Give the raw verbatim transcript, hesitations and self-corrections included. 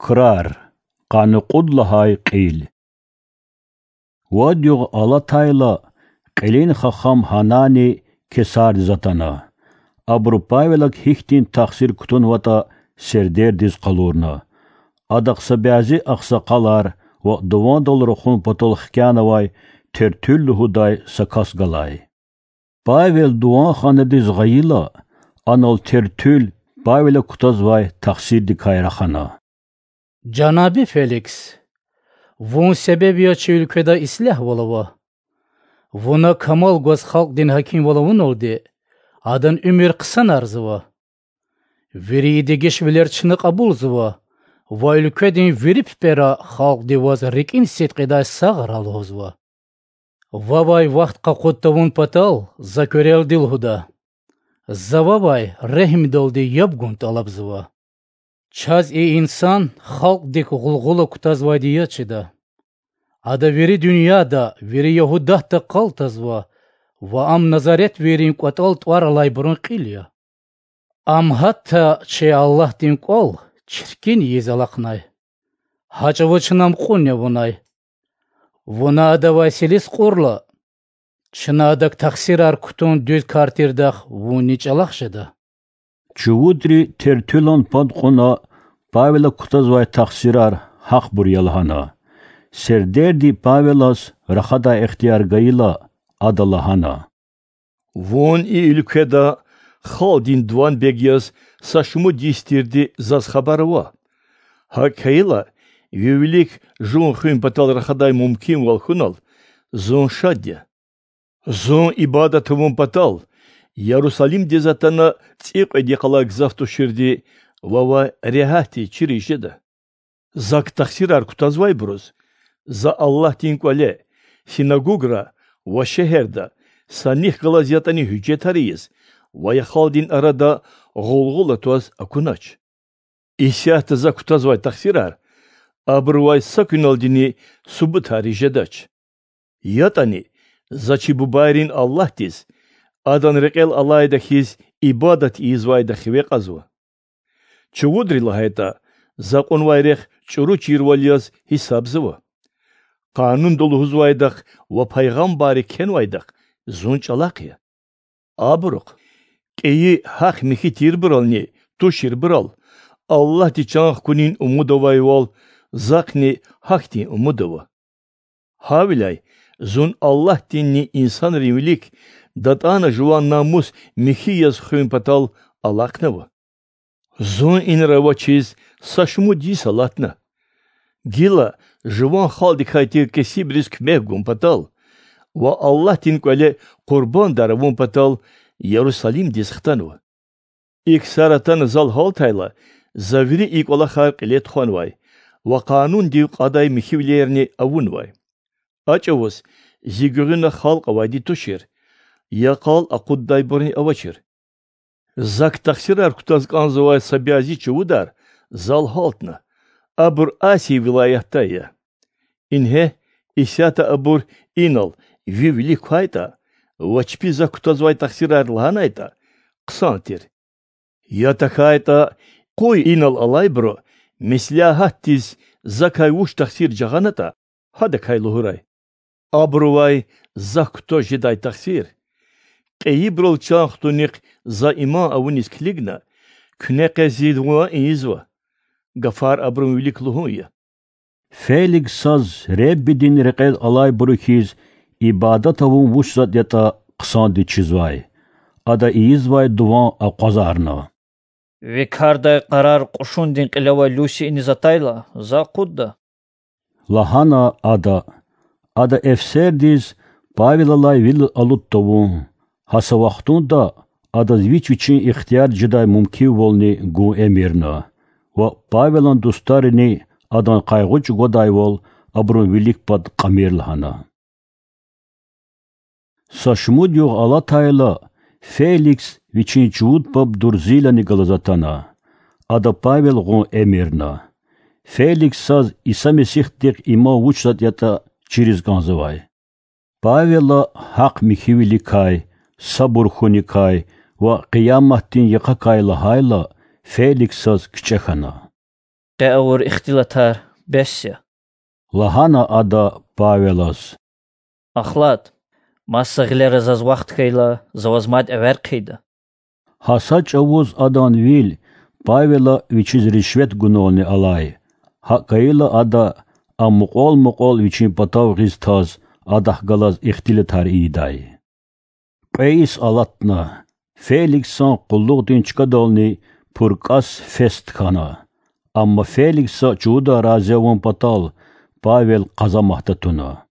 Крар. Къанни кьуд лагьай кьил. Вад югъ алатайла, кьилин хахам Гьанани Кесардиз атана. Абуру Павелак гьихьтин тахсир кутунватӀа сердердиз къалурна. Адахъ са бязи агъсакъалар ва дувандал рахун патал хкянавай Тертуьл лугьудай са кас галай. Павел дуванханадиз гъайила, анал Тертуьл Павелак кутазвай тахсирдикай рахана. Жанаби Феликс, вун себеб яз чи уьлкведа ислягьвал ава. Вуна камал гваз халкьдин гьакимвал авуналди, адан уьмуьр хъсанарзава. Вири и дегишвилер чна кьабулзава ва уьлкведин вири пипӀера халкьди ваз рикӀин сидкьидай сагърай лугьузва. Вавай вахт къакъуд тавун патал за куьрелди лугьуда: за вавай регьимдалди яб гун тӀалабзава. Чаз и инсан халкьдик гъулгъула кутазвайди яз чида. Ада вири дуьньяда, вири Ягьудатда къал тазва ва ам назаретвийрин кӀватӀал тӀвар-алайбурун кьил я. Ам гьатта чи Аллагьдин кӀвал чиркин ийиз алахънай. Гьа чӀавуз чна ам кьуни авунай. Вуна адавай силис кьурла, чна адак тахсирар кутун дуьз кар тирдахъ вунни чӀалахъ жеда. Чувудри Тертуьлан пад кьуна Павелак кутазвай тахсирар гьахъбур я лагьана. Сердерди Павелаз рахадай ихтияр гайила, ада лагьана: Вун и уьлкведа халкьдин дуванбег яз са шумуд йис тирди заз хабар ава. ГьакӀ хьайила, ви вилик жув хуьн патал рахадай мумкинвал хьунал, зун шад я. Зун ибадат авун патал Ярусалимдиз атана цӀикьвед йикъалай гзаф туширди вавай регьятдиз чириз жеда. Зак тахсирар кутазвайбуруз за Аллагьдин кӀвале, синагогра ва шегьерда са нихъ галаз ятӀани гьуьжетар ийиз ва я халкьдин арада гъулгъула тваз акунач. Исятда за кутазвай тахсирар абурувай са куьналдини субутар ийиз жедач. ЯтӀани за чи бубайрин Аллагьдиз, Адан рекьел алайда хьиз, ибадат ийизвайда хиве кьазва. Чувудри лагьайтӀа, за кьунвай рехъ чӀуру чирвал яз гьисабзава. Къанунда лугьузвайдахъ ва пайгъамбарри кхьенвайдахъ зун чӀалахъ я. Абурухъ кьейи гьахъ-михьи тирбурални туширбурал Аллагьди чан хкунин умуд авайвал, захъни гьахьтин умуд ава. Гьавиляй зун Аллагьдинни инсанрин вилик датӀана жуван намус михьи яз хуьн патал алахънава. Зун инра авачиз са шумуд йис алатна. Гила жуван халкьдикай тир кесибриз куьмек гун патал ва Аллагьдин кӀвале къурбандар авун патал Ярусалимдиз хтанва. И ксар атана зал гьалтайла, за вири и кӀвалахар кьиле тухванвай ва къанундив кьадай михьивилерни авунвай. А чӀавуз зи гуьгъуьна халкь авайди тушир, я къал акъуддайбурни авачир. Зак тахсирар кутаз кӀанзавай са бязи чувудар зал гьалтна, абур Асия вилаятдай я. Ингье, исятда абур инал ви вилик квайтӀа ва чпи зак кутазвай тахсирар лагьанайтӀа, хъсан тир. Я тахьайтӀа, къуй инал алайбуру меслягьатдиз закай вуч тахсир жагъанатӀа, гьадакай лугьурай. Абурувай зак кутаз жедай тахсир кьейибурал чан хтунихъ за иман авуниз килигна, куьне къе зи ван ийизва. Гафар абурун вилик лугьун я. Феликсаз Реббидин рекьел алайбуру хьиз ибадат авун вуч затӀ ятӀа хъсандиз чизвай. Ада ийизвай дуван акъвазарна. Ви кардай къарар кьушундин кьиле авай Люси иниз атайла, за акъудда,— лагьана ада. Ада эфсердиз Павелалай вил алуд тавун, гьа са вахтунда адаз вич-вичин ихтияр жедай мумкинвални гун эмирна, ва Павелан дустарини адан къайгъу чӀугвадайвал абурун вилик пад кьамир лагьана. Са шумуд югъ алатайла, Феликс вичин чувуд паб Дурзилани галаз атана. Ада Павел гъун эмирна. Феликсаз Иса Месихдихъ иман вуч затӀ ятӀа чириз кӀанзавай. Павела гьахъ-михьивиликай, сабур хьуникай ва Къияматдин йикъакай лагьайла, Феликсаз кичӀе хьана. къе авур ихтилатар бес я,— лагьана ада Павелаз. Ахлад, маса гъилера заз вахт хьайила, за ваз мад эвер хъийида. Гьа са чӀавуз адан вил Павела вичиз ришвет гунални алай. ГьакӀ хьайила ада, а мукьвал-мукьвал вичин патав гъиз таз, адахъ галаз ихтилатар ийидай. Кьве йис алатна. Феликсан къуллугъдин чкадални Пуркас Фест хьана. Амма Феликса чувудай рази авун патал Павел къазаматда туна.